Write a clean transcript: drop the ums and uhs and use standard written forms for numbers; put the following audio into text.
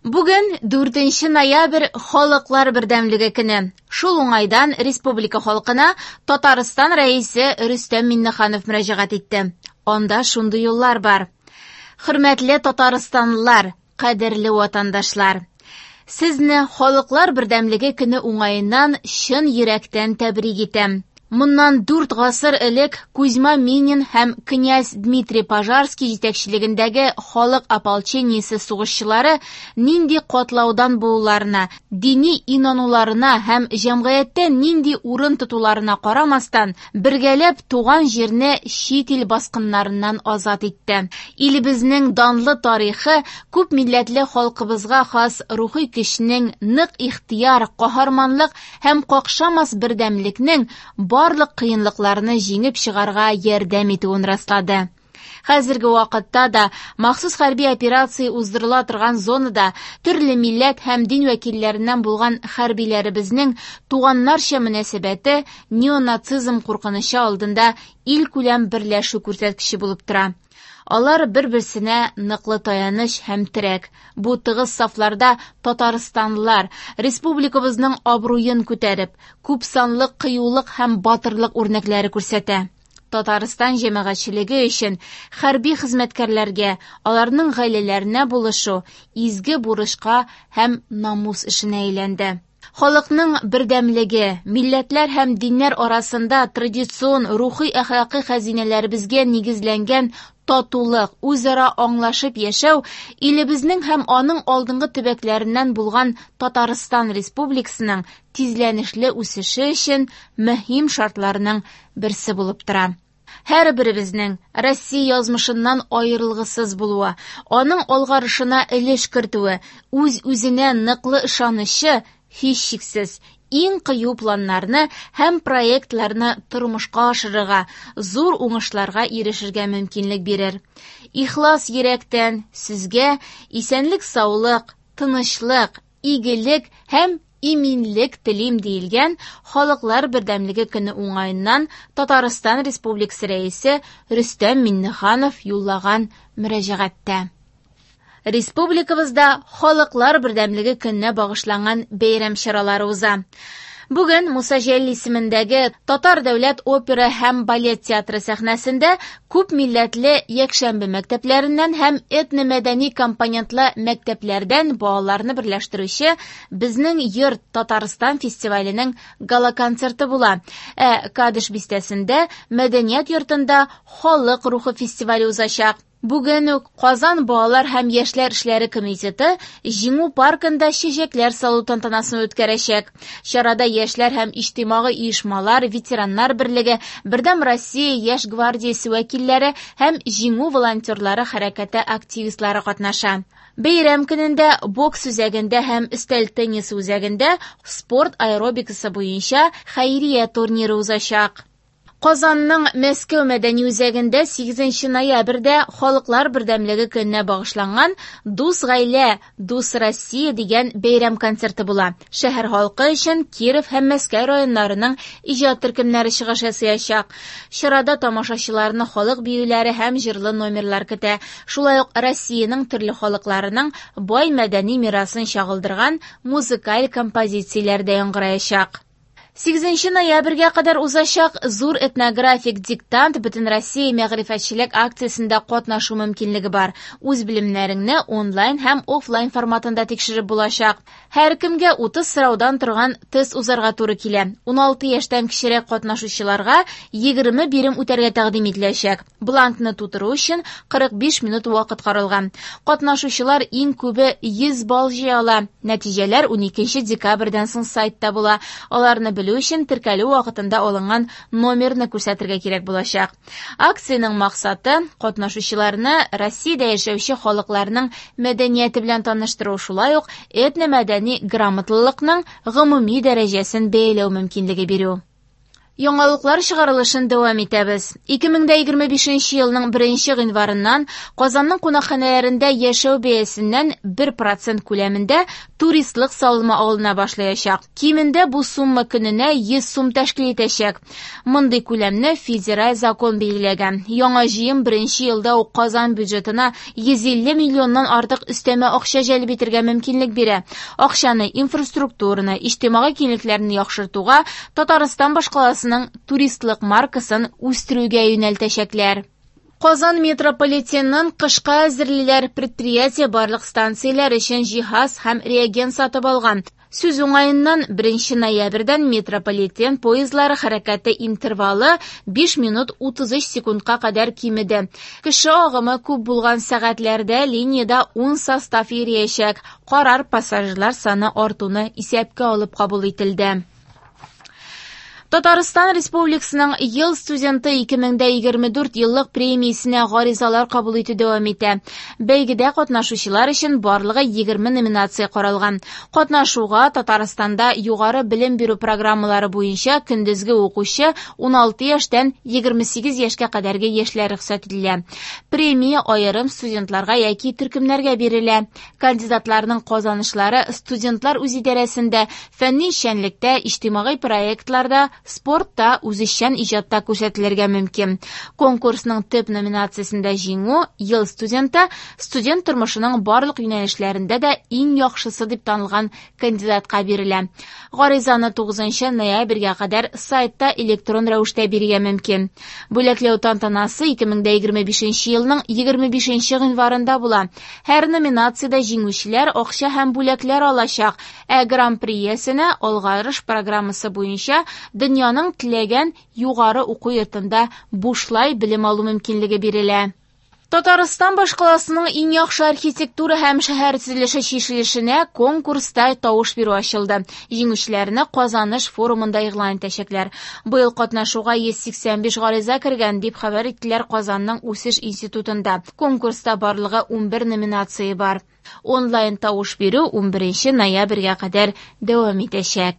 Бүген 4 ноябрь Халыклар бердәмлеге көне. Шул уңайдан республика халкына Татарстан Рәисе Рөстәм Миңнеханов мөрәҗәгать итте. Анда шундый юллар бар. Хөрмәтле татарстанлылар, кадерле ватандашлар! Сезне Халыклар бердәмлеге көне уңаеннан чын йөрәктән тәбрик итәм. Моннан 4 гасыр элек Кузьма Минин һәм князь Дмитрий Пожарский җитәкчелегендәге халык ополчениесе сугышчылары нинди катлаудан булуларына, дини инануларына һәм җәмгыятьтә нинди урын тотуларына карамастан, бергәләп туган җирне чит ил баскыннарыннан азат итте. Илебезнең данлы тарихы күп милләтле халкыбызга хас рухи көчнең, нык ихтыяр, каһарманлык һәм какшамас бердәмлекнең барлык кыенлыкларны җиңеп чыгарга ярдәм итүен раслады. Хәзерге вакытта да махсус хәрби операция уздырыла торган зонада төрле милләт һәм дин вәкилләреннән булган хәрбиләребезнең туганнарча мөнәсәбәте неонацизм куркынычы алдында илкүләм берләшү күрсәткече булып тора. Алар бер-берсенә ныклы таяныч һәм терәк. Бу тыгыз сафларда татарстанлылар республикабызның абруен күтәреп, күпсанлы кыюлык һәм батырлык үрнәкләре күрсәтә. Татарстан җәмәгатьчелеге өчен хәрби хезмәткәрләргә, аларның гаиләләренә булышу изге бурычка һәм намус эшенә әйләнде. Халыкның бердәмлеге, милләтләр һәм диннәр арасында традицион рухи-әхлакый хәзинәләребезгә нигезләнгән татулык, үзара аңлашып яшәү илебезнең һәм аның алдынгы төбәкләреннән булган Татарстан Республикасының тизләнешле үсеше өчен мөһим шартларның берсе булып тора. Һәрберебезнең Россия язмышыннан аерылгысыз булуы, аның алгарышына өлеш кертүе, үз-үзенә ныклы ышанычы, һичшиксез, иң кыю планнарны һәм проектларны тормышка ашырырга, зур уңышларга ирешергә мөмкинлек бирер. Ихлас йөрәктән сезгә исәнлек-саулык, тынычлык, игелек һәм иминлек телим, диелгән Халыклар бердәмлеге көне уңаеннан Татарстан Республикасы Рәисе Рөстәм Миңнеханов юллаган мөрәҗәгатьтә. Республикабызда Халыклар бердәмлеге көненә багышланган бәйрәм чаралары уза. Бүген Муса Җәлил исемендәге Татар дәүләт опера һәм балет театры сәхнәсендә күп милләтле якшәмбе мәктәпләреннән һәм этномәдәни компонентлы мәктәпләрдән балаларны берләштерүче Безнең йорт Татарстан фестиваленең гала-концерты була. Ә Кадыш бистәсендә Мәдәният йортында Халык рухы фестивале узачак. Бүген үк Казан балалар һәм яшьләр эшләре комитеты Җиңү паркында чәчәкләр салу тантанасын үткәрәчәк. Чарада яшьләр һәм иҗтимагый оешмалар, ветераннар берлеге, Бердәм Россия яшь гвардиясе вәкилләре һәм Җиңү волонтерлары хәрәкәте активистлары катнаша. Бәйрәм көнендә бокс үзәгендә һәм өстәл теннисы үзәгендә спорт аэробикасы буенча хәйрия турниры узачак. Казанның Мәскәү мәдәни үзәгендә 8 ноябрьдә Халыклар бердәмлеге көненә багышланган Дус гаилә, дус Россия дигән бәйрәм концерты була. Шәһәр халкы өчен Киров һәм Мәскәү районнарының иҗат төркемнәре чыгыш ясаячак. Чарада тамашачыларны халык биюләре һәм җырлы номерлар көтә. Шулай ук Россиянең төрле халыкларының бай мәдәни мирасын чагылдырган музыкаль композицияләр дә яңгыраячак. 8 ноябрьгә кадәр узачак зур этнографик диктант Бөтенроссия мәгърифәтчелек акциясендә катнашу мөмкинлеге бар. Үз белемнәреңне онлайн һәм офлайн форматында тикшереп булачак. Һәркемгә 30 сораудан торган тест узарга туры килә. 16 яшьтән кечерәк катнашучыларга 20 бирем үтәргә тәкъдим ителәчәк. Бланкны тутыру өчен 45 минут вакыт каралган. Катнашучылар иң күбе 100 балл җыя ала. Нәтиҗәләр 12 декабрьдән соң сайтта була. Аларны белү өчен теркәлү вакытында алынган номерны күрсәтергә кирәк булачак. Акциянең максаты катнашучыларны Россиядә яшәүче халыкларның мәдәнияте белән таныштыру, шулай ук этномәдәни грамотлылыкның гомуми дәрәҗәсен бәяләү мөмкинлеге бирү. Яңалыклар чыгарылышын дәвам итәбез. 2025 елның 1 гыйнварыннан Казанның кунакханәләрендә яшәү бәясеннән 1% күләмендә туристлык салымы алына башлаячак. Кимендә бу сумма көненә 100 сум тәшкил итәчәк. Мондый күләмне федераль закон билгеләгән. Яңа җыем беренче елда ук Казан бюджетына 150 миллионнан артык өстәмә акча җәлеп итәргә мөмкинлек бирә. Акчаны инфраструктураны, иҗтимагый киңлекләрне яхшыртуга, Татарстан башкаласының туристлык маркасын үстерүгә юнәлтәчәкләр. Казан метрополитенын кышка әзерлиләр. Предприятие барлык станцияләр өчен җиһаз һәм реагент сатып алган. Сүз уңаеннан, 1 ноябрьдән метрополитен поездлары хәрәкәте интервалы 5 минут 33 секундка кадәр кимеде. Кеше агымы күп булган сәгатьләрдә линиядә 10 состав йөриячәк. Карар пассажирлар саны артуны исәпкә алып кабул ителде. Татарстан Республикасының Ел студенты 2024 еллык премиясенә гаризалар кабул итү дәвам итә. Бәйгедә катнашучылар өчен барлыгы 20 номинация каралган. Катнашуга Татарстанда югары белем бирү программалары буенча көндезге укучы 16 яшьтән 28 яшькә кадәрге яшьләр рөхсәт ителә. Премия аерым студентларга яки төркемнәргә бирелә. Кандидатларның казанышлары студентлар үзидарәсендә, фәнни эшчәнлектә, иҗтимагый проектларда, спортта, үзешчән иҗатта күрсәтелергә мөмкин. Конкурсның төп номинациясендә җиңү Ел студенты студент тормышының барлык юнәлешләрендә дә иң яхшысы дип танылган кандидатка бирелә. Гаризаны 9 ноябрьгә кадәр сайтта электрон рәвештә бирергә мөмкин. Бүләкләү тантанасы 2025 елның 25 гыйнварында була. Һәр номинациядә җиңүчеләр акча һәм бүләкләр алачак, ә гран-при иясенә алгарыш программасы буенча дөньяның теләгән югары уку йортында бушлай белем алу мөмкинлеге бирелә. Татарстан башкаласының иң яхшы архитектура һәм шәһәр төзелеше чишелешенә конкурста тавыш бирү ачылды. Җиңүчеләрне Казаныш форумында игълан итәчәкләр. Быел катнашуга 185 гариза кергән, дип хәбәр иттеләр Казанның үсеш институтында. Конкурста барлыгы 11 номинация бар. Онлайн тавыш бирү 11 ноябрьгә кадәр дәвам итәчәк.